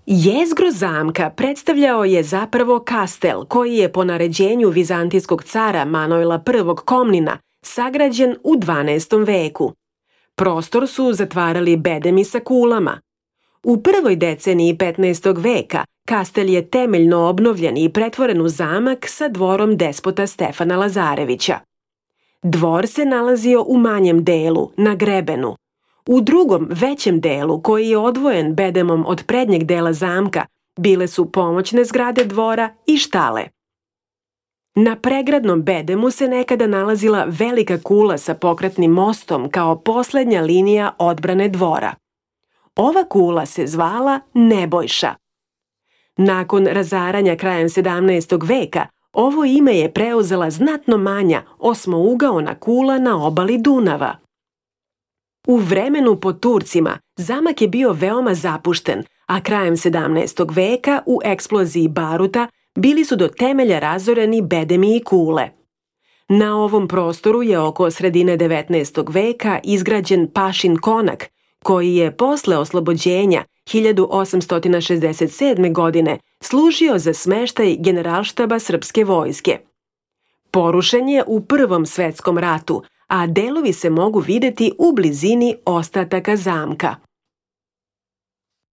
Jezgro zamka predstavljao je zapravo kastel koji je po naređenju vizantijskog cara Manojla I Komnina sagrađen u 12. veku. Prostor su zatvarali bedemi sa kulama. U prvoj deceniji 15. veka kastel je temeljno obnovljen i pretvoren u zamak sa dvorom despota Stefana Lazarevića. Dvor se nalazio u manjem delu, na grebenu. U drugom, većem delu, koji je odvojen bedemom od prednjeg dela zamka, bile su pomoćne zgrade dvora i štale. Na pregradnom bedemu se nekada nalazila velika kula sa pokretnim mostom kao poslednja linija odbrane dvora. Ova kula se zvala Nebojša. Nakon razaranja krajem 17. veka, ovo ime je preuzela znatno manja osmougaona kula na obali Dunava. U vremenu pod Turcima zamak je bio veoma zapušten, a krajem 17. veka u eksploziji baruta bili su do temelja razoreni bedemi i kule. Na ovom prostoru je oko sredine 19. veka izgrađen Pašin konak, koji je posle oslobođenja 1867. godine služio za smeštaj Generalštaba srpske vojske. Porušen je u Prvom svetskom ratu, a delovi se mogu videti u blizini ostataka zamka.